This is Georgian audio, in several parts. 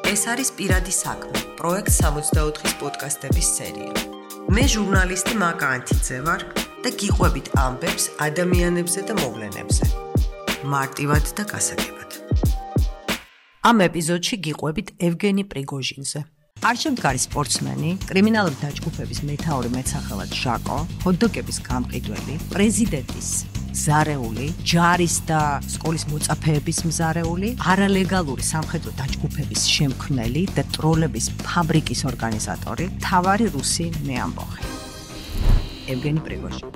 ეს არის პირადი საქმე, პროექტ 64-ის პოდკასტების სერია. მე ჟურნალისტი მაკა ანთიძე ვარ და გიყვებით ამბებს ადამიანებზე და მოვლენებზე. მარტივად და გასაგებად. ამ ეპიზოდში გიყვებით ევგენი პრიგოჟინზე. არჩევდგარი სპორტსმენი, კრიმინალური დაჯგუფების მეთაური მეტსახელად ჟაკო, ჰოთ-დოგების გამყიდველი, პრეზიდენტის მზარეული, ჯარის და სკოლის მოწაფეების მზარეული, არალეგალური სამხედრო დაჯგუფების შემქმნელი და ტროლების ფაბრიკის ორგანიზატორი, მთავარი რუსი მეამბოხი. ევგენი პრიგოჟინი.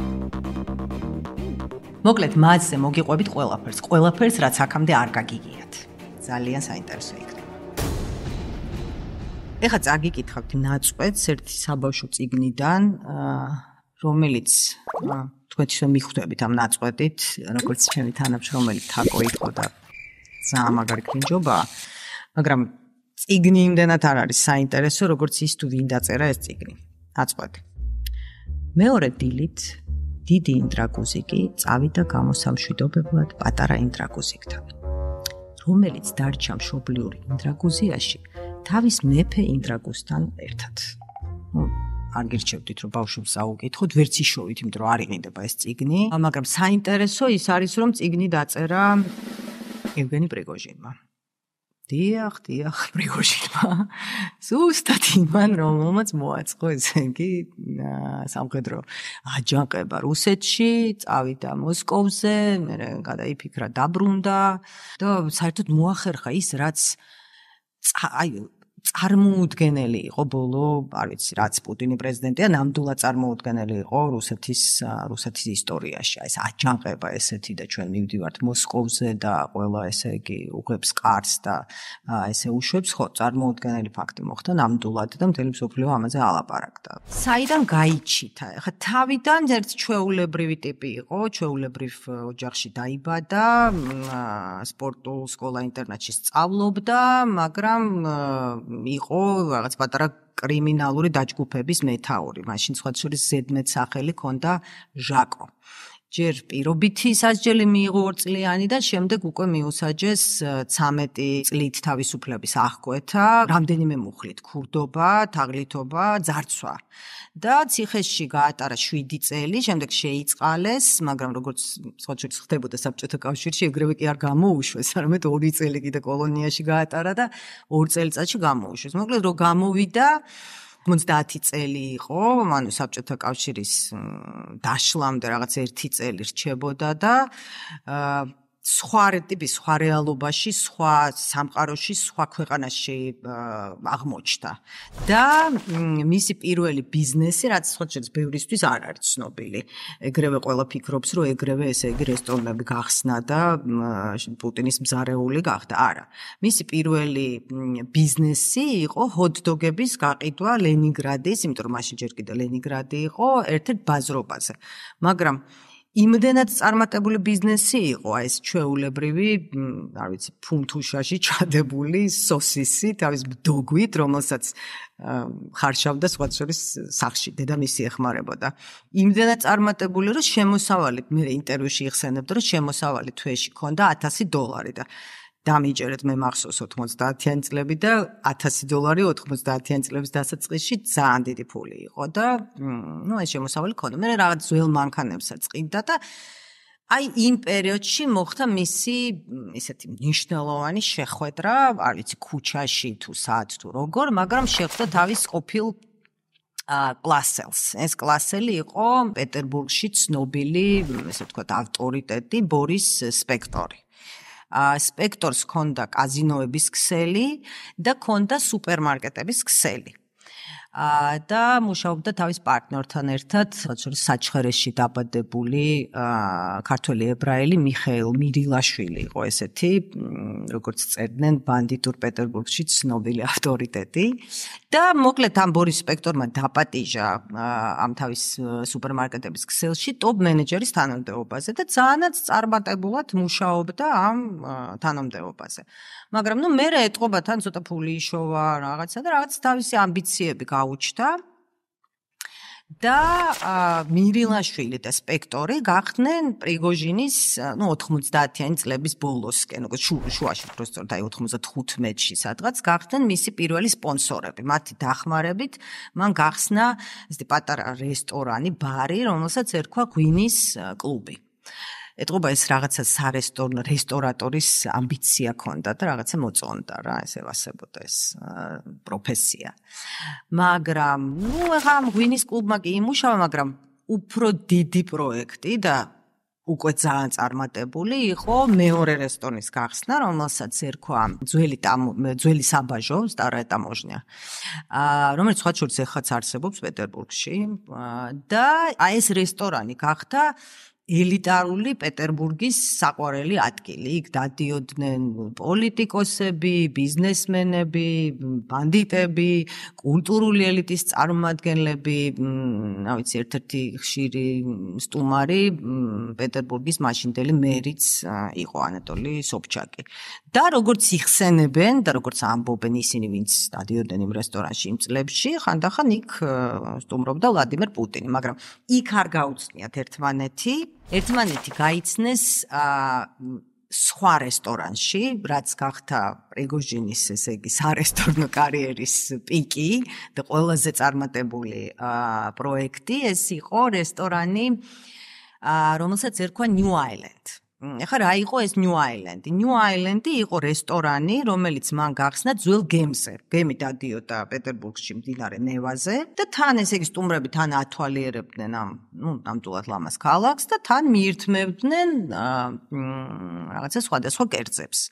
მოკლედ მასზე მოგიყვებით ყველაფერს, რაც აქამდე არ გაგიგიათ. ძალიან საინტერესო იქნება. ეხლა წაგიკითხავთ ნაწყვეტს ერთი საბავშვო წიგნიდან, რომელიც თქვენთვისო მიხვდებით ამ ნაწყვეტით, როგორც ჩემი თანამშრომელი თაკო იყო და ძალიან მაგარი კრინჯობაა, მაგრამ წიგნი იმდენად არ არის საინტერესო, როგორც ის თუ ვინ დაწერა ეს წიგნი. ნაწყვეტი. მეორე დილით დიდი ინტრაგუზიკი წავიდა გამოსამშვიდობებლად პატარა ინტრაგუზიკთან, რომელიც დარჩა მშობლიური ინტრაგუზიაში თავის მეფე ინტრაგუსთან ერთად. არ გირჩევდით, რომ ბავშვებს აუკითხოთ, ვერც იშოვით, იმიტომ რომ არ იყიდება ეს წიგნი, მაგრამ საინტერესო ის არის, რომ წიგნი დაწერა ევგენი პრიგოჟინმა. დიახ, პრიგოჟინმა. ზუსტად იმან, რომელმაც მოაწყო ესე იგი სამხედრო აჯანყება რუსეთში, წავიდა მოსკოვზე, მერე გადაიფიქრა, დაბრუნდა და საერთოდ მოახერხა ის, რაც წარმოუდგენელი იყო ბოლო, არ ვიცი, რაც პუტინი პრეზიდენტია, ნამდვილად წარმოუდგენელი იყო რუსეთის ისტორიაში. ეს აჯანყება ესეთი და ჩვენ მივდივართ მოსკოვზე და ყველა ესე იგი უღებს კარს და ესე უშვებს, ხო, წარმოუდგენელი ფაქტი მოხდა ნამდვილად და მთელი მსოფლიო ამაზე ალაპარაკდა. საიდან გაიჩითა? ეხლა თავიდან ერთ ჩვეულებრივი ტიპი იყო, ჩვეულებრივ ოჯახში დაიბადა, სპორტულ სკოლა-ინტერნატში სწავლობდა, მაგრამ იყო რაღაც პატარა კრიმინალური დაჯგუფების მეთაური. მაშინ სხვა შორის ზედმეტ სახელი ჰქონდა ჟაკო. ჯერ პირობითი სასჯელი მიიღო 2 წლიანი და შემდეგ უკვე მიუსაჯეს 13 წლით თავისუფლების აღკვეთა, რამდენიმე მუხლით, ქურდობა, თაღლითობა, ძარცვა. და ციხეში გაატარა 7 წელი, შემდეგ შეიწყალეს, მაგრამ როგორც სხვა შორის ხდებოდა საბჭოთა კავშირში, ეგრევე კი არ გამოუშვეს, არამედ 2 წელი კიდე კოლონიაში გაატარა და 2 წელიწადში გამოუშვეს. მოკლედ რომ გამოვიდა 50 წელი იყო, ანუ საბჭოთა კავშირის დაშლამდე რაღაც 1 წელი რჩებოდა და სხვა ტიპის, სხვა რეალობაში, სხვა სამყაროში, სხვა ქვეყანაში აღმოჩნდა. და მისი პირველი ბიზნესი, რაც სხვა შორის ბევრისთვის არ არის ცნობილი. ეგრევე ყველა ფიქრობს, რომ ეგრევე ესე იგი რესტორნები გახსნა და პუტინის მზარეული გახდა. არა. მისი პირველი ბიზნესი იყო ჰოთ-დოგების გაყიდვა ლენინგრადის, იმიტომ რომ მაშინ ჯერ კიდე ლენინგრადი იყო, ერთ-ერთ ბაზრობაზე. მაგრამ იმდენად წარმატებული ბიზნესი იყო ეს ჩვეულებრივი, არ ვიცი, ფუნთუშაში ჩადებული სოსისი თავის დოგვით, რომელსაც ხარშავდა სხვა შორის სახლში, დედამისი ეხმარებოდა. იმდენად წარმატებული, რომ შემოსავალი, მე ინტერვიუში იხსენებდა, რომ შემოსავალი თვეში ჰქონდა $1000 და დამიჯერეთ მე მახსოვს 90-იანი წლები და $1000 90-იანი წლების დასაწყისში ძალიან დიდი ფული იყო და ეს შემოსავალი ჰქონდა. მე რაღაც ძველ მანქანებსაც ყიდდა და აი იმ პერიოდში მოხდა მისი ესეთი მნიშვნელოვანი შეხვედრა, არ ვიცი, ქუჩაში თუ სად თუ როგორ, მაგრამ შეხვდა თავის ყოფილ კლასელს. ეს კლასელი იყო პეტერბურგში ცნობილი, ესე ვთქვათ, ავტორიტეტი ბორის სპექტორი. სპექტორს ჰქონდა კაზინოების ქსელი და ჰქონდა სუპერმარკეტების ქსელი. და მუშაობდა თავის პარტნიორთან ერთად, საჩხერეში დაბადებული ქართველი ებრაელი მიხეილ მირილაშვილი იყო ესეთი, როგორც წერდნენ ბანდიტურ პეტერბურგში ცნობილი ავტორიტეტი. და მოკლედ ამ ბორის სპექტორმა დაპატიჟა ამ თავის სუპერმარკეტების ქსელში ტოპ მენეჯერის თანამდებობაზე და ძალიანაც წარმატებულად მუშაობდა ამ თანამდებობაზე. მაგრამ მე ეტყობა თან ცოტა ფული იშოვა რაღაცა და რაღაც თავისი ამბიციები გაუჩნდა და მირილაშვილი და სპექტორი გახდნენ პრიგოჟინის 90-იანი წლების ბოლოსკენ, შუაში უბრალოდ აი 95-ში სადღაც გახდნენ მისი პირველი სპონსორები. მათი დახმარებით მან გახსნა ესეთი პატარა რესტორანი, ბარი, რომელსაც ერქვა ღვინის კლუბი. ეტყობა ეს რაღაცა რესტორატორის ამბიცია ჰქონდა და რაღაცა მოწონდა რა, ეს ევასებოდა ეს პროფესია. მაგრამ, ეხლა ღვინის კლუბმა კი იმუშავა, მაგრამ უფრო დიდი პროექტი და უკვე ძალიან წარმატებული იყო მეორე რესტორნის გახსნა, რომელსაც ერქვა ძველი საბაჟო, სტარая таможня, რომელიც სხვა შორის ეხლაც არსებობს პეტერბურგში და აი ეს რესტორანი გახდა ელიტარული პეტერბურგის საყვარელი ადგილი. იქ დადიოდნენ პოლიტიკოსები, ბიზნესმენები, ბანდიტები, კულტურული ელიტის წარმომადგენლები, რა ვიცი, ერთ-ერთი ხშირი სტუმარი პეტერბურგის მაშინდელი მერიც იყო ანატოლი სობჩაკი. და როგორც იხსენებენ და როგორც ამბობენ ისინი, ვინც დადიოდნენ იმ რესტორანში იმ წლებში, ხანდახან იქ სტუმრობდა ვლადიმერ პუტინი, მაგრამ იქ არ გაუცნიათ ერთმანეთი გაიცნეს სხვა რესტორანში, რაც გახდა პრიგოჟინის, ესე იგი, სარესტორნო კარიერის პიკი და ყველაზე წარმატებული პროექტი, ეს იყო რესტორანი, რომელსაც ერქვა New Island. ეხლა რა იყო ეს New Island? New Island იყო რესტორანი, რომელიც მან გახსნა ძველ გემზე. გემი დადიოდა პეტერბურგში მდინარე ნევაზე და თან ესე იგი სტუმრები თან ათვალიერებდნენ ნამდვილად ლამაზ ქალაქს და თან მიირთმევდნენ რაღაცა სხვადასხვა კერძებს.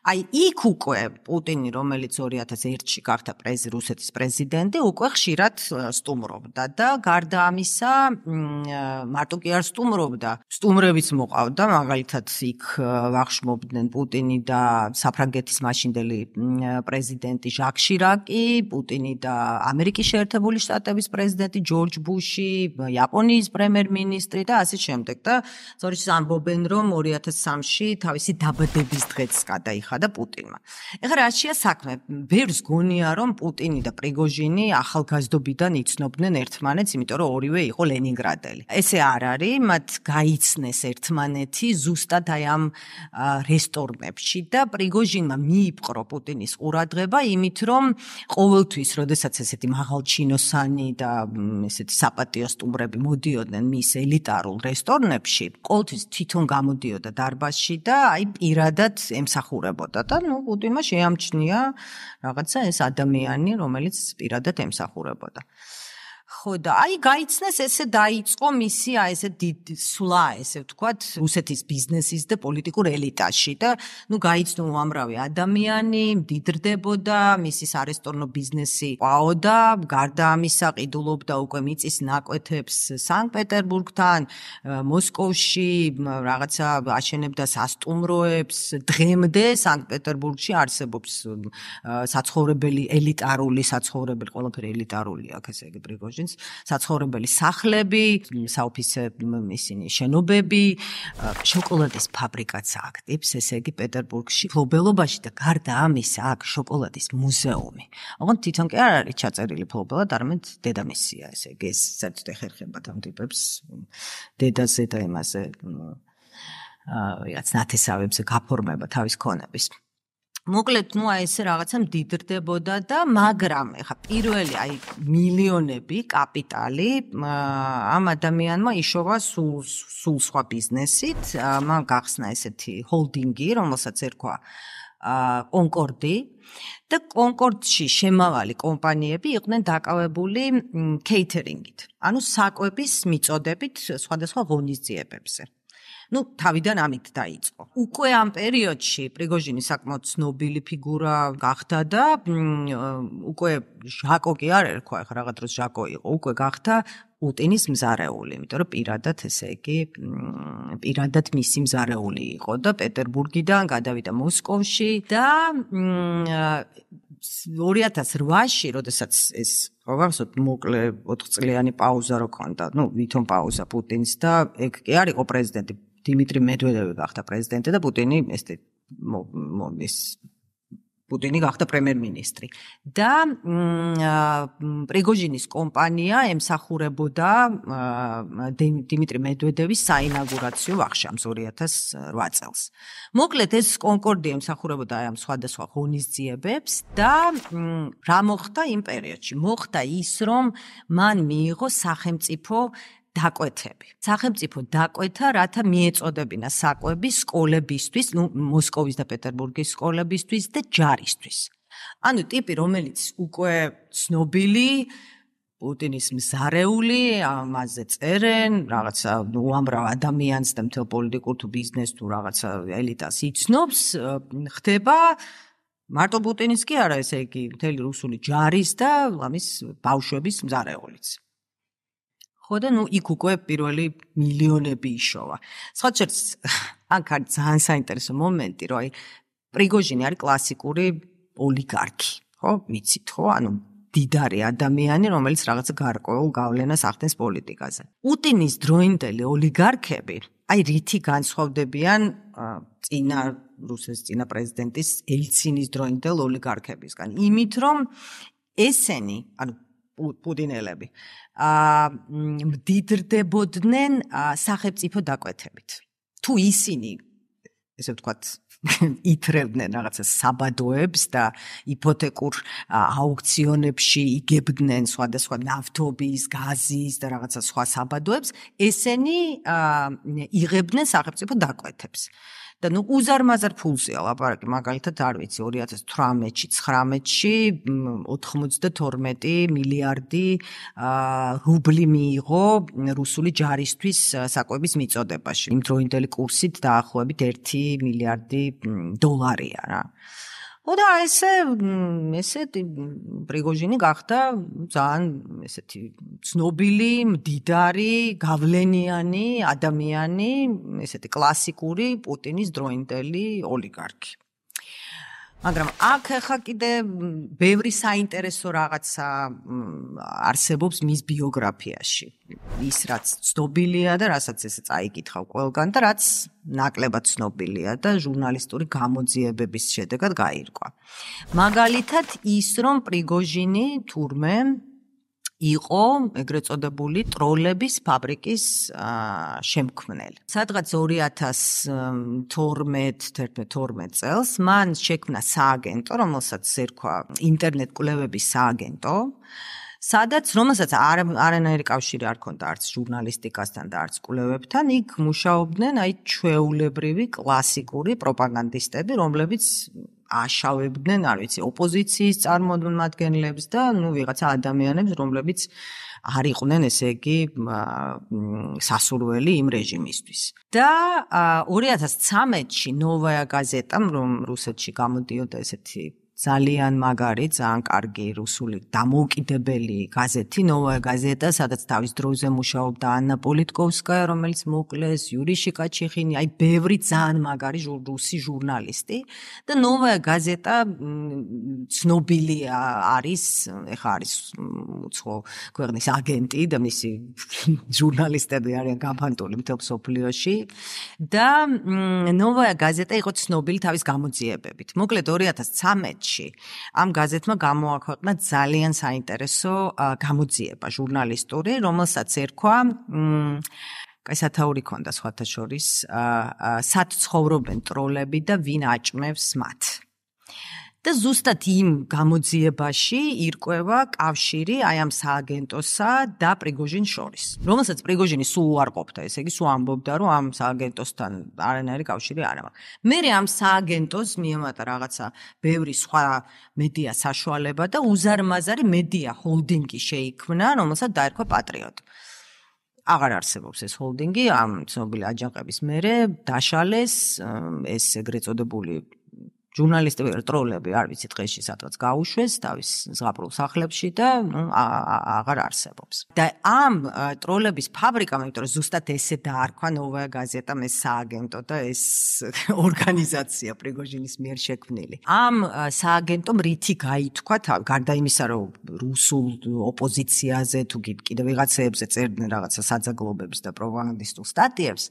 აი იქ უკვე პუტინი, რომელიც 2001-ში გახდა რუსეთის პრეზიდენტი, უკვე ხშირად სტუმრობდა და გარდა ამისა, მარტო კი არ სტუმრობდა, სტუმრებიც მოყავდა, მაგალითად იქ ვახშმობდნენ პუტინი და საფრანგეთის მაშინდელი პრეზიდენტი ჟაკ შირაკი, პუტინი და ამერიკის შეერთებული შტატების პრეზიდენტი ჯორჯ ბუში, იაპონიის პრემიერ-მინისტრი და ასე შემდეგ და სწორედ ამბობენ, რომ 2003-ში თავისი დაბადების დღეც გადაიხადა პუტინმა. ეხლა რაშია საქმე? ბევრს გონია, რომ პუტინი და პრიგოჟინი ახალგაზრდობიდან იცნობდნენ ერთმანეთს, იმიტომ რომ ორივე იყო ლენინგრადელი. ესე არ არის, მათ გაიცნეს ერთმანეთი ზუსტად აი ამ რესტორნებში და პრიგოჟინმა მიიპყრო პუტინის ყურადღება იმით, რომ ყოველთვის, როდესაც ესეთი მაღალჩინოსანი და ესეთი საპატიო სტუმრები მოდიოდნენ მის ელიტარულ რესტორნებში, ყოველთვის თვითონ გამოდიოდა დარბაზში და აი პირადად ემსახურებოდა და პუტინმა შეამჩნია რაღაცა ეს ადამიანი, რომელიც პირადად ემსახურებოდა. ხო და აი გაიცნეს ესე დაიწყო მისი აი ესე სვლა, ესე ვთქვათ, რუსეთის ბიზნესის და პოლიტიკურ ელიტაში და გაიცნო უამრავი ადამიანი, მდიდრდებოდა, მისი სარესტორნო ბიზნესი ყვაოდა, გარდა ამისა ყიდულობდა უკვე მიწის ნაკვეთებს სანქტ-პეტერბურგთან, მოსკოვში, რაღაცა აშენებდა სასტუმროებს, დღემდე სანქტ-პეტერბურგში არსებობს საცხოვრებელი, ელიტარული საცხოვრებელი, ყველაფერი ელიტარული აქვს, ესე იგი პრიგოჟინს საცხოვრებელი სახლები, საოფისე ისინი შენობები, შოკოლადის ფაბრიკაც აქტივს, ესე იგი პეტერბურგში, ფლობელობაში და გარდა ამისა აქ შოკოლადის მუზეუმი. ოღონდ თვითონ კი არ არის ჩაწერილი ფლობელად, არამედ დედამისია, ესე იგი ეს საერთოდ ეხერხებათ ამ ტიპებს დედაზე და იმაზე რაღაც ნათესავებზე გაფორმება თავის ქონების. მოკლედ, აი ესე რაღაცა მდიდრდებოდა და მაგრამ ეხა პირველი აი მილიონები კაპიტალი ამ ადამიანმა იშოვა სულ სხვა ბიზნესით, მან გახსნა ესეთი ჰოლდინგი, რომელსაც ერქვა კონკორდი და კონკორდში შემავალი კომპანიები იყვნენ დაკავებული კეითერინგით, ანუ საკვების მიწოდებით სხვადასხვა ღონისძიებებზე. თავიდან ამით დაიწყო. უკვე ამ პერიოდში პრიგოჟინი საკმაოდ ცნობილი ფიგურა გახდა და უკვე ჟაკო კი არ ერქვა, ახლა რაღაც დროს ჟაკო იყო, უკვე გახდა პუტინის მზარეული, იმიტომ რომ პირადად ესე იგი პირადად მისი მზარეული იყო და პეტერბურგიდან გადავიდა მოსკოვში და 2008-ში, როდესაც ეს გავახსოვთ მოკლე 4 წლიანი პაუზა რო ქონდა, ვითომ პაუზა პუტინს და ეგ კი არ იყო პრეზიდენტი დიმიტრი მედვედევი გახდა პრეზიდენტი და პუტინი ეს პუტინი გახდა პრემიერ-მინისტრი და პრიგოჟინის კომპანია ემსახურებოდა დიმიტრი მედვედევის საინაugურაციო ვახშამს 2008 წელს. მოკლედ ეს კონკორდია ემსახურებოდა ამ სხვადასხვა ღონისძიებებს და რა მოხდა იმ პერიოდში? მოხდა ის, რომ მან მიიღო სახელმწიფო დაკვეთები. სახელმწიფო დაკვეთა, რათა მიეწოდებინა საკვები სკოლებისთვის, მოსკოვის და პეტერბურგის სკოლებისთვის და ჯარისთვის. ანუ ტიპი, რომელიც უკვე ცნობილი, პუტინის მზარეული, ამაზე წერენ, რაღაცა უამრავ ადამიანს და მთელ პოლიტიკურ თუ ბიზნეს თუ რაღაცა ელიტას იცნობს, ხდება მარტო პუტინის კი არა, ესე იგი, მთელი რუსული ჯარის და ამის ბავშვების მზარეულიც. ხო და იქ უკვე პირველი მილიონები იშოვა. სხვა შორის, აქ არის ძალიან საინტერესო მომენტი, რომ პრიგოჟინი არის კლასიკური ოლიგარქი, ხო? მიცით, ხო? ანუ დიდარი ადამიანი, რომელიც რაღაცა გარკვეულ გავლენას ახდენს პოლიტიკაზე. პუტინის დროინდელი ოლიგარქები, რითი განსხვავდებიან რუსეთის წინა პრეზიდენტის ელცინის დროინდელ ოლიგარქებისგან? იმით, რომ ესენი, ანუ პუტინელები, მდიდრდებოდნენ სახელმწიფო დაკვეთებით. თუ ისინი, ესე ვთქვათ, ითრევდნენ რაღაცა საბადოებს და იპოთეკურ აუქციონებში იგებდნენ სხვადასხვა ნავთობის, გაზის და რაღაცა სხვა საბადოებს, ესენი იღებდნენ სახელმწიფო დაკვეთებს. და უზარმაზარ ფულზეა ლაპარაკი, მაგალითად არ ვიცი 2018-ში, 19-ში 92 მილიარდი რუბლი მიიღო რუსული ჯარისთვის საკვების მიწოდებაში. იმ დროინდელი კურსით დაახლოებით 1 მილიარდი დოლარია რა. და ესეთი პრიგოჟინი გახდა ძალიან ესეთი ცნობილი, მდიდარი, გავლენიანი ადამიანი, ესეთი კლასიკური პუტინის დროინდელი ოლიგარქი. მაგრამ აქ ახლა კიდე ბევრი საინტერესო რაღაცა არსებობს მის ბიოგრაფიაში. ის რაც ცნობილია და რასაც ესე წაიკითხავ ყველგან და რაც ნაკლებად ცნობილია და ჟურნალისტური გამოძიებების შედეგად გაირკვა. მაგალითად ის, რომ პრიგოჟინი თურმე იყო ეგრეთ წოდებული ტროლების ფაბრიკის შემქმნელი. სადღაც 2012 წელს მან შექმნა სააგენტო, რომელსაც ერქვა ინტერნეტ კვლევების სააგენტო, რომელსაც არანაირი კავშირი არ ჰქონდა არც ჟურნალისტიკასთან და არც კვლევებთან, იქ მუშაობდნენ ჩვეულებრივი კლასიკური პროპაგანდისტები, რომლებიც აშავებდნენ, არ ვიცი, ოპოზიციის წარმომადგენლებს და ვიღაცა ადამიანებს, რომლებიც არ იყვნენ, ესე იგი, სასურველი იმ რეჟიმისთვის. და 2013-ში ნოვაია გაზეტამ, რომ რუსეთში გამოდიოდა ესეთი ძალიან მაგარი, ძალიან კარგი რუსული დამოუკიდებელი გაზეთი, ნოვაია გაზეტა, სადაც თავის დროზე მუშაობდა ანა პოლიტკოვსკაია, რომელიც მოკლეს, იური შიკაჩიხინი, ბევრი ძალიან მაგარი რუსი ჟურნალისტი და ნოვაია გაზეტა ცნობილი არის, ეხა არის უცხო ქვეყნის აგენტი და მისი ჟურნალისტები არიან გაფანტული მთელ მსოფლიოში და ნოვაია გაზეტა იყო ცნობილი თავის გამოძიებებით. მოკლედ 2013-ში ამ გაზეთმა გამოაქვეყნა ძალიან საინტერესო გამოძიება ჟურნალისტური, რომელსაც ერქვა სათაური ჰქონდა სხვათა შორის სად ცხოვრობენ ტროლები და ვინ აჭმევს მათ. და ზუსტად იმ გამოძიებაში ირკვევა კავშირი ამ სააგენტოსა და პრიგოჟინს შორის, რომელსაც პრიგოჟინი სულ არ ყოფდა, ესე იგი სულ ამბობდა, რომ ამ სააგენტოსთან არანაირი კავშირი არ აქვს. მერე ამ სააგენტოს მიემატა რაღაცა ბევრი სხვა მედია საშუალება და უზარმაზარი მედია ჰოლდინგი შეიქმნა, რომელსაც დაერქვა პატრიოტი. აღარ არსებობს ეს ჰოლდინგი, ამ ცნობილი აჯანყების მერე დაშალეს ეს ეგრეთ წოდებული ჟურნალისტები, ტროლები, არ ვიცი, დღეში სადღაც გაუშვეს თავის ზღაპრულ სახლებში და აღარ არსებობს. და ამ ტროლების ფაბრიკამ, იმიტომ რომ ზუსტად ესე დაარქვა ნოვაია გაზეტამ ეს სააგენტო და ეს ორგანიზაცია პრიგოჟინის მიერ შექმნილი. ამ სააგენტომ რითი გაითქვა, გარდა იმისა, რომ რუსულ ოპოზიციაზე თუ კიდევ ვიღაცეებზე წერდნენ რაღაცა საძაგლობებს და პროპაგანდისტულ სტატიებს,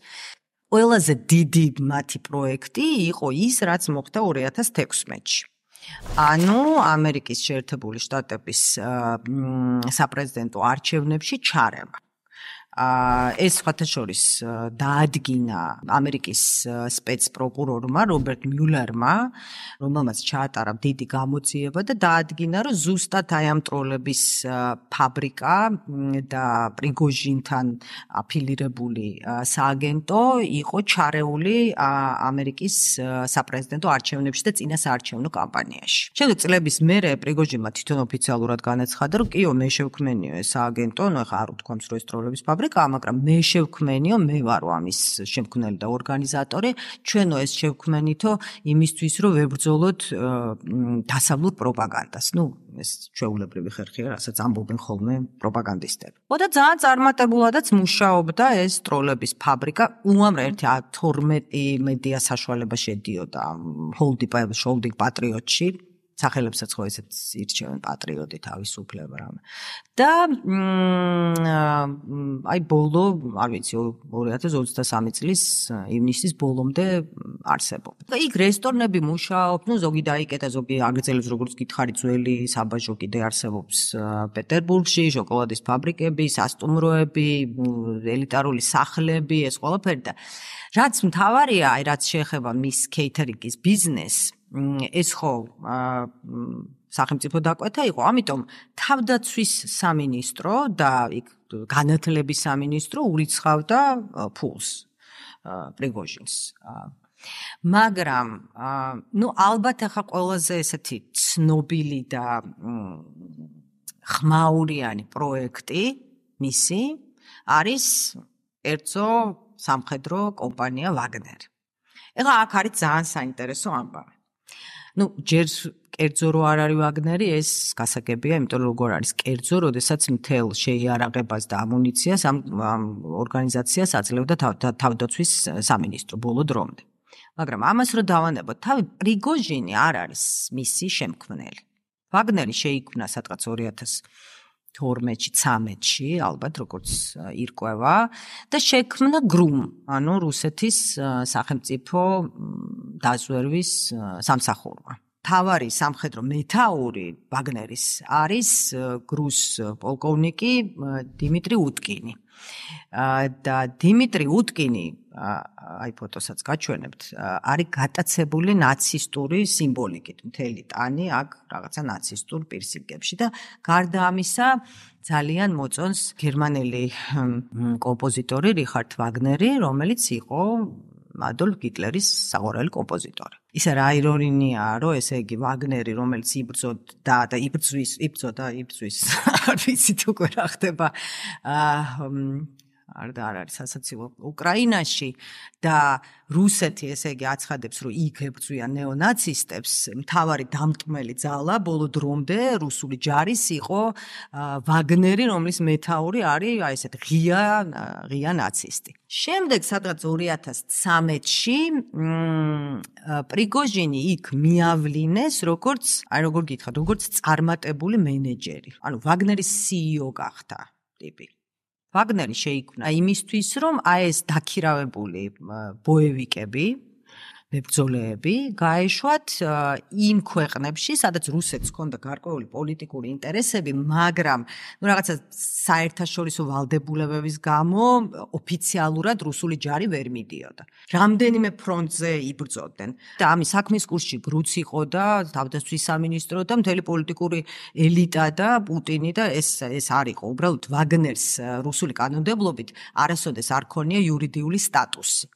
ყველაზე დიდი მათი პროექტი იყო ის, რაც მოხდა 2016-ში. ანუ ამერიკის შეერთებული შტატების საპრეზიდენტო არჩევნებში ჩარევა. ეს სხვათაშორის დაადგინა ამერიკის სპეცპროკურორმა რობერტ მიულერმა, რომელმაც ჩაატარა დიდი გამოძიება და დაადგინა, რომ ზუსტად აი ამ ტროლების ფაბრიკა და პრიგოჟინთან აფილირებული სააგენტო იყო ჩარეული ამერიკის საპრეზიდენტო არჩევნებში და წინა საარჩევნო კამპანიაში. შემდეგ წლების მერე პრიგოჟინმა თვითონ ოფიციალურად განაცხადა, რომ კიო მე შევქმენიო ეს სააგენტო, ნუ ახლა არ ვთქვამს, რომ ეს ტროლების მაგრამ მე შევქმენიო, მე ვარო ამის შემქმნელი და ორგანიზატორი, ჩვენო ეს შევქმენითო იმისთვის, რომ ვებრძოლოთ დასავლურ პროპაგანდას. ნუ ეს ჩვეულებრივი ხერხია, რასაც ამბობენ ხოლმე პროპაგანდისტები. და ძალიან წარმატებულადაც მუშაობდა ეს ტროლების ფაბრიკა. უამრავ 12 მედია საშუალება შედიოდა ჰოლდინგ პატრიოტში. სახელებსაც ხო ესეც ირჩევენ პატრიოტი თავისუფლება რამე. და აი ბოლო, არ ვიცი, 2023 წლის ივნისის ბოლომდე არსებობდა. იქ რესტორნები მუშაობ, ნუ ზოგი დაიკეტა, ზოგი აგრძელებს, როგორც გითხარი, ძველი საბაჟო კიდე არსებობს პეტერბურგში, შოკოლადის ფაბრიკები, სასტუმროები, ელიტარული სახლები, ეს ყველაფერი და რაც მთავარია, აი რაც შეეხება მის კეითერინგის ბიზნესს, ეს ხო სახელმწიფო დაკვეთა იყო, ამიტომ თავდაცვის სამინისტრო და იქ განათლების სამინისტრო ურიცხავდა ფულს პრიგოჟინს. მაგრამ ნუ ალბათ ახლა ყველაზე ესეთი ცნობილი და ხმაურიანი პროექტი მისი არის ერთო სამხედრო კომპანია ვაგნერი. ეხლა აქ არის ძალიან საინტერესო ამბავი. ნუ ჯერ კერძო რო არ არის ვაგნერი, ეს გასაგებია, იმიტომ რომ როგორ არის კერძო, როდესაც მთელ შეიარაღებას და ამუნიციას ამ ორგანიზაციას აძლევდა თავდაცვის სამინისტრო ბოლო დრომდე. მაგრამ ამას რო დავანებოთ, თავი პრიგოჟინი არ არის მისი შემქმნელი. ვაგნერი შეიქმნა სადღაც 2012-13-ში, ალბათ როგორც ირკვევა და შექმნა გრუმ, ანუ რუსეთის სახელმწიფო დაზვერვის სამსახურმა. თავარი სამხედრო მეთაური ვაგნერის არის გრუს პოლკოვნიკი დიმიტრი უტკინი. და დიმიტრი უტკინი, აი ფოტოსაც გაჩვენებთ, არის გატაცებული ნაცისტური სიმბოლიკით, მთელი ტანი აქ რაღაცა ნაცისტურ პირსინგებში და გარდა ამისა ძალიან მოწონს გერმანელი კომპოზიტორი რიხარდ ვაგნერი, რომელიც იყო ადოლფ ჰიტლერის საყვარელი კომპოზიტორი. ისე რა ირონიაა, რომ ესე იგი ვაგნერი, რომელიც იბრძოდა და იბრძოდა, არ ვიცი თუ რა ხდება არ არის სასაცილო უკრაინაში და რუსეთი ესე იგი აცხადებს, რომ იქ ებრძვიან ნეონაცისტებს, მთავარი დამტმელი ძალა ბოლო დრომდე რუსული ჯარის იყო ვაგნერი, რომლის მეთაური არის აი ესეთ ღია ნაცისტი. შემდეგ სადღაც 2013-ში პრიგოჟინი იქ მიავლინეს როგორც გითხრათ, როგორც წარმატებული მენეჯერი. ანუ ვაგნერის CEO გახდა ტიპი. ვაგნერი შეიქმნა იმისთვის, რომ აი ეს დაქირავებული ბოევიკები, მებრძოლეები გაეშვათ იმ ქვეყნებში, სადაც რუსეთს ჰქონდა გარკვეული პოლიტიკური ინტერესები, მაგრამ ნუ რაღაცა საერთაშორისო ვალდებულებების გამო ოფიციალურად რუსული ჯარი ვერ მიდიოდა. რამდენიმე ფრონტზე იბრძოდნენ და ამის საქმის კურსში გრუც იყო და თავდაცვის სამინისტრო და მთელი პოლიტიკური ელიტა და პუტინი და ეს არ იყო. უბრალოდ ვაგნერს რუსული კანონმდებლობით არასოდეს არ ქონია იურიდიული სტატუსი.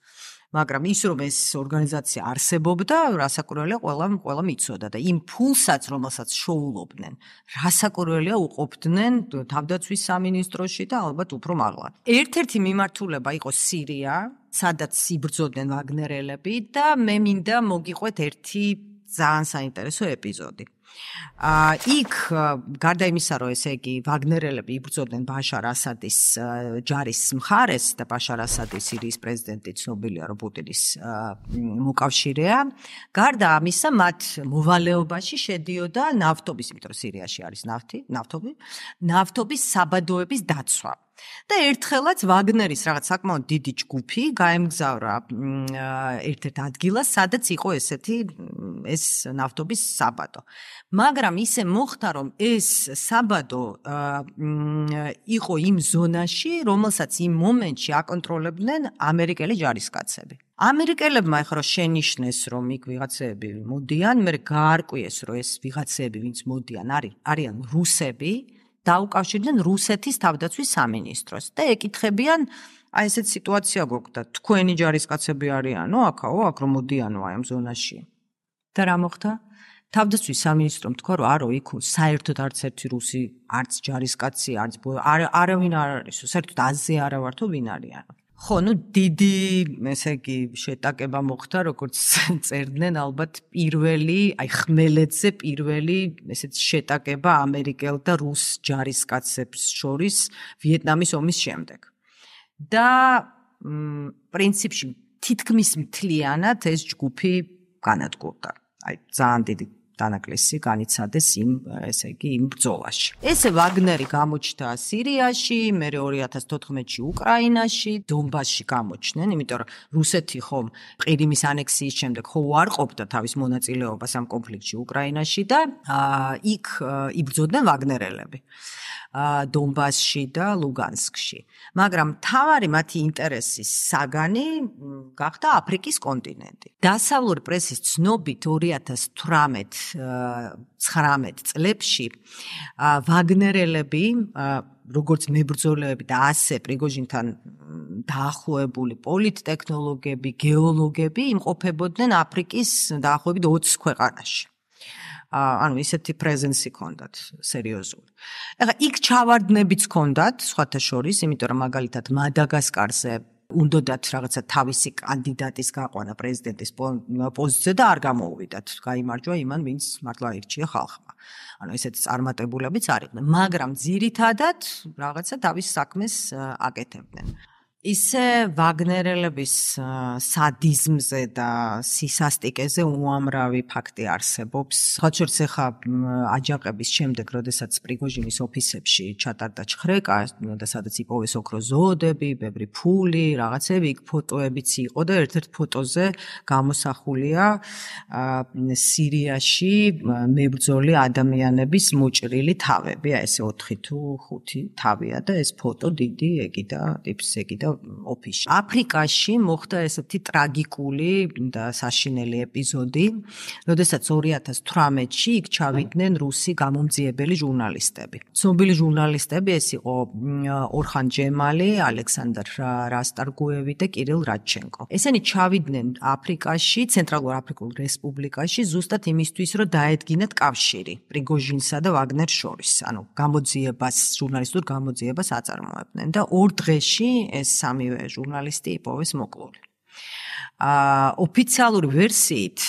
მაგრამ ის რომ ეს ორგანიზაცია არსებობდა, რასაკვირველია ყველა მიცოდა და იმ ფულსაც, რომელსაც შოულობდნენ, რასაკვირველია უყოფდნენ თავდაცვის სამინისტროში და ალბათ უფრო მაღლა. ერთ-ერთი მიმართულება იყო სირია, სადაც იბრძოდნენ ვაგნერელები და მე მინდა მოგიყვეთ ერთი ძალიან საინტერესო ეპიზოდი. იქ გარდა იმისა, რომ ესე იგი ვაგნერელები იბრძოდნენ ბაშარ ასადის ჯარის მხარეს და ბაშარ ასადი სირიის პრეზიდენტი ცნობილია, რომ პუტინის მოკავშირეა, გარდა ამისა მათ მოვალეობაში შედიოდა ნავთობის, იმიტომ რომ სირიაში არის ნავთობის საბადოების დაცვა. და ერთხელაც ვაგნერის რაღაც საკმაოდ დიდი ჯგუფი გაემგზავრა ერთ-ერთ ადგილას, სადაც იყო ეს ნავთობის საბადო. მაგრამ ისე მოხდა, რომ ეს საბადო იყო იმ ზონაში, რომელსაც იმ მომენტში აკონტროლებდნენ ამერიკელი ჯარისკაცები. ამერიკელებმა ეხლა შენიშნეს, რომ იქ ვიღაცები მოდიან, მე გაარკვიეს, რომ ეს ვიღაცები, ვინც მოდიან, არიან რუსები. დაუკავშირდნენ რუსეთის თავდაცვის სამინისტროს და ეკითხებიან, აი ესეთ სიტუაცია გვაქვს და თქვენი ჯარისკაცები არიანო, აქაო, აქ რომ მოდიანო აი ამ ზონაში. და რა მოხდა? თავდაცვის სამინისტრომ თქვა, რომ არო, იქ საერთოდ არც ერთი რუსი, არც ჯარისკაცი, არავინ არ არის, საერთოდ აზზე არა ვართო ვინ არიანო. ხო, დიდი, ესე იგი, შეტაკება მოხდა, როგორც წერდნენ, ალბათ პირველი, აი ხმელეთზე პირველი, ესეც შეტაკება ამერიკელ და რუს ჯარისკაცებს შორის ვიეტნამის ომის შემდეგ. და პრინციპში თითქმის მთლიანად ეს ჯგუფი განადგურდა. აი ძალიან დიდი დანაკლისი განიცადეს იმ ბრძოლაში. ესე ვაგნერი გამოჩნდა სირიაში, მე 2014-ში უკრაინაში, დონბასში გამოჩნდნენ, იმიტომ რომ რუსეთი ხომ ყირიმის ანექსიის შემდეგ ხო უარყოფდა თავის მონაწილეობას ამ კონფლიქტში უკრაინაში და იქ იბრძოდნენ ვაგნერელები. დონბასში და ლუგანსკში. მაგრამ მთავარი მათი ინტერესის საგანი გახდა აფრიკის კონტინენტი. დასავლური პრესის ცნობით 2018-19 წლებში ვაგნერელები, როგორც მებრძოლეები და ასე პრიგოჟინთან დაახლოებული პოლიტტექნოლოგები, გეოლოგები იმყოფებოდნენ აფრიკის დაახლოებით 20 ქვეყანაში. ანუ ისეთი პრეზენსი ჰქონდათ სერიოზული. ეხლა იქ ჩავარდნებიც ჰქონდათ, სხვათა შორის, იმიტომ რომ მაგალითად მადაგასკარზე უნდათ რაღაცა თავისი კანდიდატის გაყვანა პრეზიდენტის პოზიციაზე და არ გამოუვიდათ. გაიმარჯვა იმან, ვინც მართლა ირჩია ხალხმა. ანუ ესეთი წარმატებულებიც არ იყვნენ, მაგრამ ძირითადად რაღაცა თავის საქმეს აკეთებდნენ. ისე ვაგნერელების სადიზმზე და სისასტიკეზე უამრავი ფაქტი არსებობს. სხვათა შორის ახლა აჯანყების შემდეგ, როდესაც პრიგოჟინის ოფისებში ჩატარდა ჩხრეკა და სადაც იპოვეს ოქროს ზოოდები, ბევრი ფული, რაღაცები, იქ ფოტოებიც იყო და ერთ-ერთ ფოტოზე გამოსახულია სირიაში მებრძოლი ადამიანების მოჭრილი თავები, აი ესე 4 თუ 5 თავია და ეს ფოტო დიდი ეგიდა ტიპს ეგიდა ოფისში. აფრიკაში მოხდა ესეთი ტრაგიკული და საშინელი ეპიზოდი, როდესაც 2018-ში იქ ჩავიდნენ რუსი გამომძიებელი ჟურნალისტები. ცნობილი ჟურნალისტები ეს იყო ორხან ჯემალი, ალექსანდრ რასტარგუევი და კირილ რადჩენკო. ესენი ჩავიდნენ აფრიკაში, ცენტრალურ აფრიკულ რესპუბლიკაში ზუსტად იმისთვის, რომ დაედგინათ კავშირი პრიგოჟინსა და ვაგნერს შორის. ანუ გამოძიებას, ჟურნალისტურ გამოძიებას აწარმოებდნენ და 2 დღეში ეს სამივე ჟურნალისტი იპოვეს მოკლული. ოფიციალური ვერსიით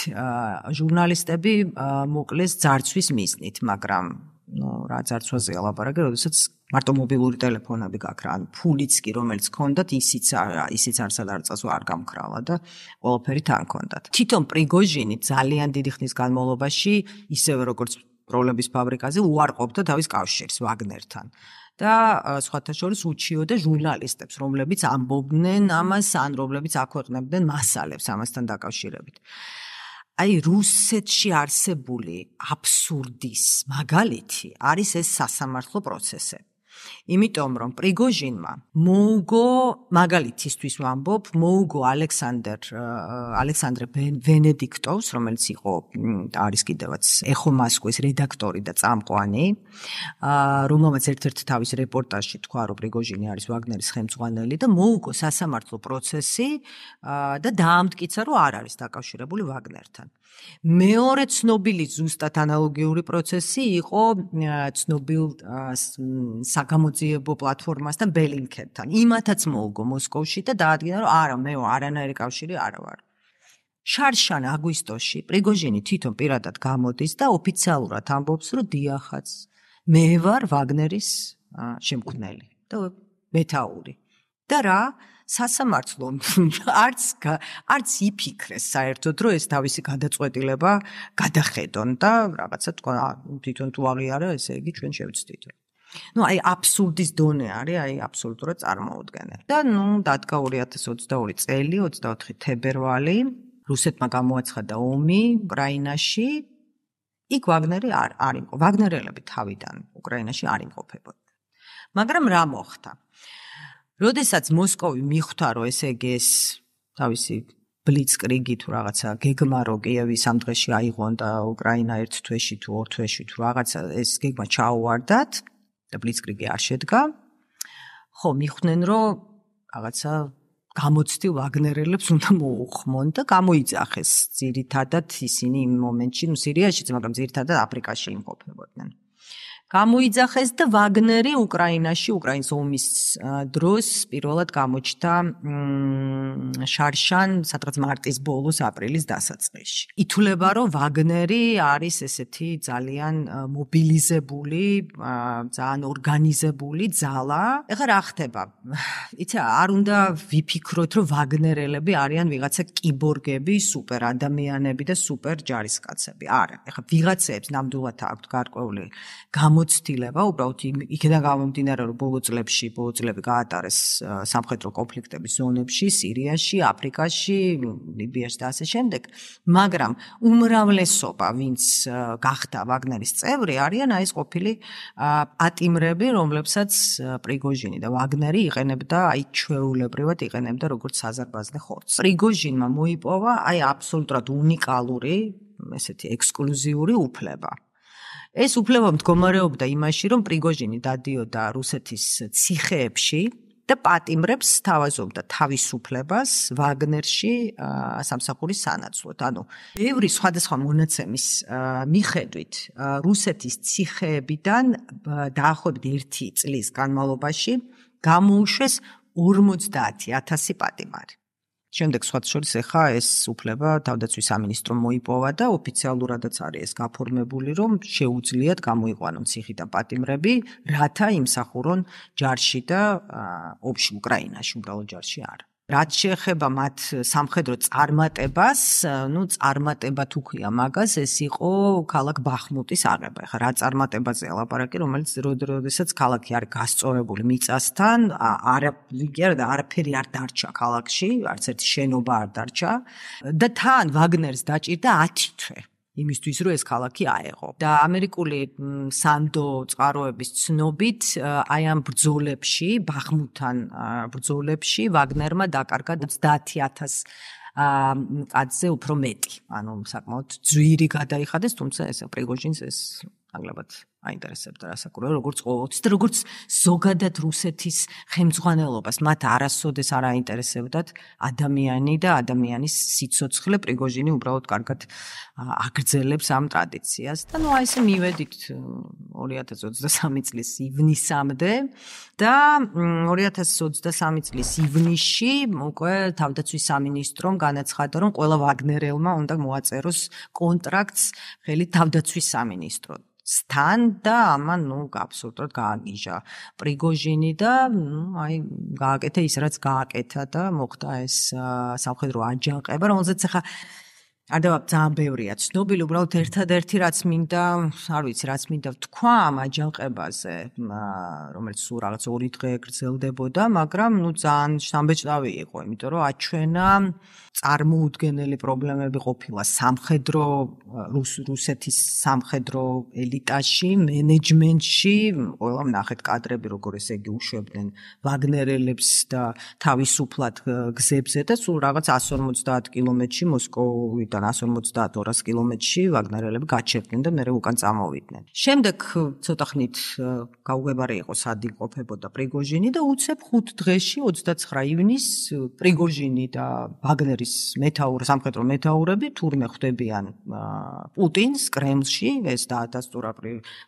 ჟურნალისტები მოკლეს ძარცვის მიზნით, მაგრამ რა ძარცვაზეა ლაპარაკი, როდესაც მარტო მობილური ტელეფონები გაქვს რა, ანუ ფულიც კი რომელიც ჰქონდათ, ისიც არსად არ წასვა არ გამქრალა და ყველაფერი თან ჰქონდათ. თვითონ პრიგოჟინი ძალიან დიდი ხნის განმავლობაში, ისევე როგორც პროლების ფაბრიკაზე, უარყოფდა თავის კავშირს ვაგნერთან. და სხვათა შორის უჩიოდა ჟურნალისტებს, რომლებიც ამბობდნენ ამას, ან რომლებიც აქვეყნებდნენ მასალებს ამასთან დაკავშირებით. აი რუსეთში არსებული აბსურდის მაგალითი არის ეს სასამართლო პროცესები. იმიტომ რომ პრიგოჟინმა მოუგო მაგალითისთვის ვამბობ, მოუგო ალექსანდრე ვენედიქტოვს, რომელიც იყო არის კიდევაც ეხო მოსკოვის რედაქტორი და წამყვანი, რომელმაც ერთ-ერთ თავის რეპორტაჟში თქვა, რომ პრიგოჟინი არის ვაგნერის ხელმძღვანელი და მოუგო სასამართლო პროცესი და დაამტკიცა, რომ არ არის დაკავშირებული ვაგნერთან. მეორე ცნობილი ზუსტად ანალოგიური პროცესი იყო ცნობილ საგამოძიებო პლატფორმასთან ბელინკენთან. იმათაც მოუგო მოსკოვში და დაადგინა, რომ არა, მე არანაირი კავშირი არა ვარ. შარშან აგვისტოში პრიგოჟინი თვითონ პირადად გამოდის და ოფიციალურად ამბობს, რომ დიახაც მე ვარ ვაგნერის შემქმნელი და მეთაური. და რა სასამართლო არც იფიქრეს საერთოდ რომ ეს თავისი გადაწყვეტილება გადახედონ და რაღაცა თქვა თვითონ თუ აღიარა ესე იგი ჩვენ შევცდით. აი აბსურდის დონე არის, აი აბსოლუტურად წარმოუდგენელი. და დადგა 2022 წელი 24 თებერვალი რუსეთმა გამოაცხადა ომი უკრაინაში. იქ ვაგნერი არ იყო. ვაგნერელები თავიდან უკრაინაში არ იმყოფებოდნენ. მაგრამ რა მოხდა? როდესაც მოსკოვი მიხვდა, რომ ესე იგი ეს თავისი ბლიცკრიგი თუ რაღაცა გეგმა რო კიევის ამ დღეში აიღონ და უკრაინა ერთ თვეში თუ ორ თვეში თუ რაღაცა ეს გეგმა ჩაუვარდათ და ბლიცკრიგი არ შედგა, ხო მიხვდნენ, რომ რაღაცა გამოცდილ ვაგნერელებს უნდა მოუხმონ და გამოიძახეს ძირითადად ისინი იმ მომენტში, სირიაშიც, მაგრამ ძირითადად აფრიკაში იმყოფებოდნენ. გამოიძახეს და ვაგნერი უკრაინაში, უკრაინის ომის დროს პირველად გამოჩნდა შარშან, სადღაც მარტის ბოლოს, აპრილის დასაწყისში. ითვლება, რომ ვაგნერი არის ესეთი ძალიან მობილიზებული, ძალიან ორგანიზებული ძალა. ეხლა რა ხდება? იცი, არ უნდა ვიფიქროთ, რომ ვაგნერელები არიან ვიღაცა კიბორგები, სუპერ ადამიანები და სუპერ ჯარისკაცები. არა, ეხლა ვიღაცებს ნამდვილად აქვთ გარკვეული გამოცდილება, უბრალოდ იქიდან გამომდინარე, რომ ბოლო წლები გაატარეს სამხედრო კონფლიქტების ზონებში, სირიაში, აფრიკაში, ლიბიაში და ასე შემდეგ, მაგრამ უმრავლესობა, ვინც გახდა ვაგნერის წევრი, არიან აი ეს ყოფილი პატიმრები, რომლებსაც პრიგოჟინი და ვაგნერი იყენებდა, აი ჩვეულებრივად იყენებდა როგორც საზარბაზნე ხორცს. პრიგოჟინმა მოიპოვა აი აბსოლუტურად უნიკალური, ესეთი ექსკლუზიური უფლება. ეს უფლება მდგომარეობდა იმაში, რომ პრიგოჟინი დადიოდა რუსეთის ციხეებში და პატიმრებს სთავაზობდა თავისუფლებას ვაგნერში სამსახურის სანაცვლოდ. ანუ ბევრი სხვადასხვა მონაცემის მიხედვით რუსეთის ციხეებიდან დაახლოებით 1 წლის განმავლობაში გამოუშვეს 50,000 პატიმარი. შემდეგ სხვათა შორის ახლა ეს უფლება თავდაცვის სამინისტრომ მოიპოვა და ოფიციალურადაც არის ეს გაფორმებული, რომ შეუძლიათ გამოიყვანონ ციხიდან პატიმრები, რათა იმსახურონ ჯარში და ომში უკრაინაში, უბრალოდ ჯარში არა. რაც შეეხება მათ სამხედრო წარმატებას, წარმატება თუ ქვია მაგას, ეს იყო ქალაქ ბახმუტის აღება. ეხლა რა წარმატებაზე ლაპარაკი, რომელიც როდესაც ქალაქი არის გასწორებული მიწასთან, არაფერი არ დარჩა ქალაქში, არც ერთი შენობა არ დარჩა და თან ვაგნერს დაჭირდა 10 თვე. იმისთვის რომ ეს ქალაქი აეღო. და ამერიკული სანდო წყაროების ცნობით, აი ამ ბრძოლებში, ბახმუტთან ბრძოლებში ვაგნერმა დაკარგა 30,000 კაცზე უფრო მეტი. ანუ საკმაოდ ძვირი გადაიხადეს, თუმცა ეს პრიგოჟინს ეს აგლებად აინტერესებდა რასაკურველ, როგორც ყოველთვის და როგორც ზოგადად რუსეთის ხელმძღვანელობას, მათ არასოდეს არ აინტერესებდათ ადამიანი და ადამიანის სიცოცხლე, პრიგოჟინი უბრალოდ კარგად აგრძელებს ამ ტრადიციას. და აი ესე მივედით 2023 წლის ივნისამდე და 2023 წლის ივნისში უკვე თავდაცვის სამინისტრომ განაცხადა, რომ ყველა ვაგნერელმა უნდა მოაწეროს კონტრაქტს ხელით თავდაცვის სამინისტროს სთან და ამან აბსოლუტურად გააგიჟა პრიგოჟინი და აი გააკეთა ის რაც გააკეთა და მოხდა ეს სამხედრო აჯანყება, რომელზეც ახლა არ დავაბ ძალიან ბევრია ცნობილი, უბრალოდ ერთადერთი რაც მინდა, არ ვიცი, რაც მინდა ვთქვა ამ აჯანყებაზე, რომელიც სულ რაღაც 2 დღე გრძელდებოდა, მაგრამ ძალიან შთამბეჭდავი იყო, იმიტომ რომ აჩვენა წარმოუდგენელი პრობლემები ყოფილა სამხედრო რუსეთის სამხედრო ელიტაში, მენეჯმენტში, ყველა ვნახეთ კადრები, როგორ ესე იგი უშვებდნენ ვაგნერელებს და თავისუფლად გზებზე და სულ რაღაც 150 კილომეტრში მოსკოვიდან კილომეტრიდან 150-200 კილომეტრში ვაგნერელები გაჩერდნენ და მერე უკან წამოვიდნენ. შემდეგ ცოტა ხნით გაუგებარი იყო სად იმყოფებოდა პრიგოჟინი და უცებ 5 დღეში 29 ივნისს პრიგოჟინი და ვაგნერის სამხედრო მეთაურები თურმე ხვდებიან პუტინს კრემლში, ეს დაადასტურა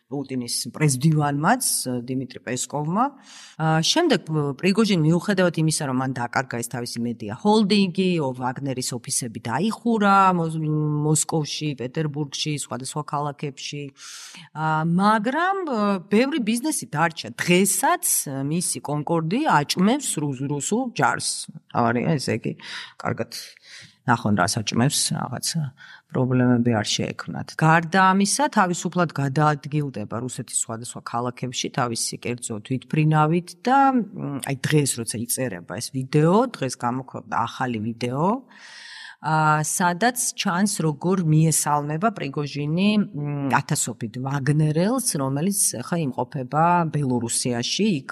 პუტინის პრეზდივანმაც დიმიტრი პესკოვმა. შემდეგ პრიგოჟინი მიუხედავად იმისა, რომ მან დაკარგა ეს თავისი მედია ჰოლდინგი, ვაგნერის ოფისები დაიხურა მოსკოვში, პეტერბურგში, სხვადასხვა ქალაქებში, მაგრამ ბევრი ბიზნესი დარჩა. დღესაც მისი კონკორდი აჭმევს რუსულ ჯარს. ავარია ესე იგი, კარგად ნახონ რა საჭმევს, რაღაცა პრობლემები არ შეექმნათ. გარდა ამისა, თავისუფლად გადაადგილდება რუსეთის სხვადასხვა ქალაქებში თავისი კერძო თვითმფრინავით და აი დღეს როცა იწერება ეს ვიდეო, დღეს გამოქვეყნდა ახალი ვიდეო, სადაც ჩანს როგორ მიესალმება პრიგოჟინი ათასობით ვაგნერელს, რომელიც ხა იმყოფება ბელორუსიაში, იქ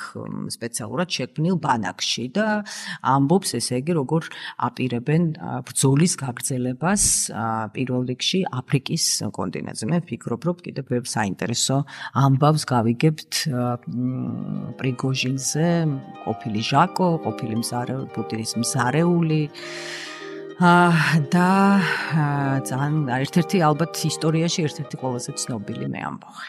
სპეციალურად შექმნილ ბანაკში და ამბობს ესე იგი როგორ აპირებენ ბრძოლის გაგრძელებას პირველ რიგში აფრიკის კონტინენტზე. მე ვფიქრობ, რომ კიდევ ბევრ საინტერესო ამბავს გავიგებთ პრიგოჟინზე, ყოფილი ჟაკო, ყოფილი პუტინის მზარეული და ძალიან ერთ-ერთი ალბათ ისტორიაში ერთ-ერთი ყველაზე ცნობილი მე ამბავი.